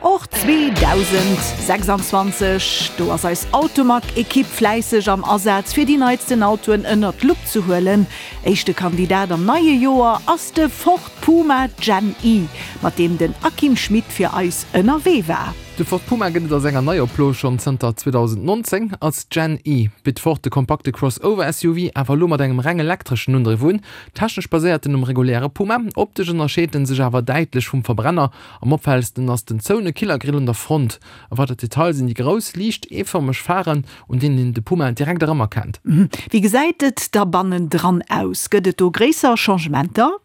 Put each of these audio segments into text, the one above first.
Och 2026, do ass eis Automag-Ekipp fläisseg am Asaz fir déi neitsten Autoen ënnert d'Lupp ze huelen. Éischte Kandidat am neie Joer ass de Ford Puma Gen E, mat deem den Akim Schmit fir eis ënnerwee war. De Ford Puma gëtt et a senger Neioplo schonn zënter 2019. Als Gen E bitt Ford de kompakte Crossover-SUV awer elo mat engem reng elektreschen Undriff un. Technesch baséiert en um reguläre Puma, optesch ënnerscheet en sech awer däitlech vum Verbrenner. Am opfällegsten ass den zoune Killergrill un der Front. E weidert Detail sinn déi grouss, liicht eefërmeg Pharen, un deenen een de Puma direkt erëmerkennt. Wéi gesäit et da bannendran aus? Gëtt et do gréisser Changementer?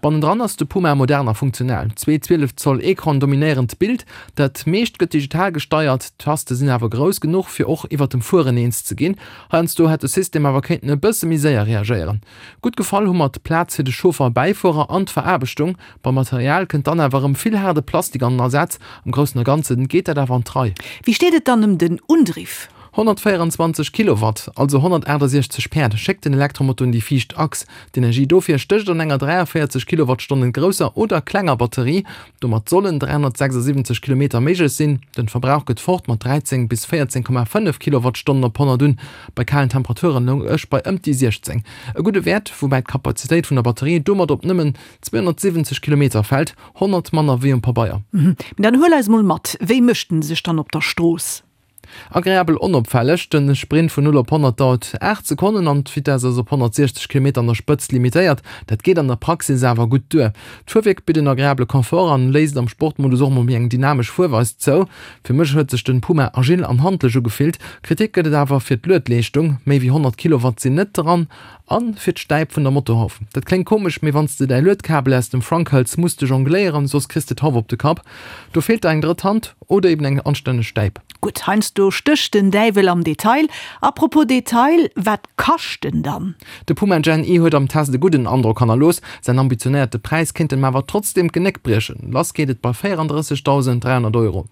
Bannendran ass de Puma modern a funktional. Zwee 12 Zoll Ecranen dominéieren d'Bild. Dat meescht gëtt digital gesteiert, d'Taste sinn awer grouss genuch, fir och iwwer dem Fueren eens ze ginn. Heiansdo hätt de System awer kéinten e bësse méi séier reagéieren. Gutt gefall hu mer d'Plaz fir de Chauffer a Bäifuerer an d'Veraarbechtung. Beim Material kënnt dann awer erëm vill haarde Plastik an den Asaz. Am Groussen a Ganzen geet dat awer an d'Rei. Wéi steet et dann ëm den Undriff? 124 Kilowatt, also 168 Päerd, schéckt den Elektromotor un déi viischt Achs. D'Energie dofir stécht an enger 43 Kilowattstonnen grousser oder klenger Batterie. Domat sollen 376 Kilometer méiglech sinn. Den Verbrauch gëtt fort mat 13 bis 14,5 Kilowattstonnen op 100 un. Bei kalen Temperaturen loung ech bei ëmt déi 16. E gudde Wäert, woubäi d'Kapazitéit vun der Batterie domat op nëmmen 270 Kilometer fält, 100 manner wéi um Pabeier. Mee dann huel eis mol mat, wéi mécht en sech dann op der Strooss? Agreabel onopfälleg, den Sprint vun 0 op 100 dauert 8 Sekonnen an d'Vitess ass op 160 Kilometer an der Spëtzt limitéiert. Dat geet an der Praxis awer gutt duer. D'Fuerwierk bitt en agreabele Confort an léisst am Sportmodus och mol méi eng dynamesch Fuerweis zou. Fir mech huet sech den Puma agil an handlech ugefillt. Kritik gëtt et awer fir d'Luedleeschtung, méi wéi 100 Kilowatt sinn net dran, an fir d'Stäip vun der Motorhauf. Dat kléngt komesch, mee wanns de däi Luedkabel aus dem Frunk hëls, muss de jongléieren, soss kriss de d'Hauf op de Kapp. Do feelt der eng drëtt Hand oder eben eng anstänneg Stäip. Gutt, heiansdo stécht den Däiwel am Detail. Apropos Detail, wat kascht en dann? De Puma Gen E huet am Test e gudden Androck hannerlooss. Säin ambitionéierte Präis kéint em awer trotzdeem d'Genéck briechen. Lass geet et bei 34.300 Euro.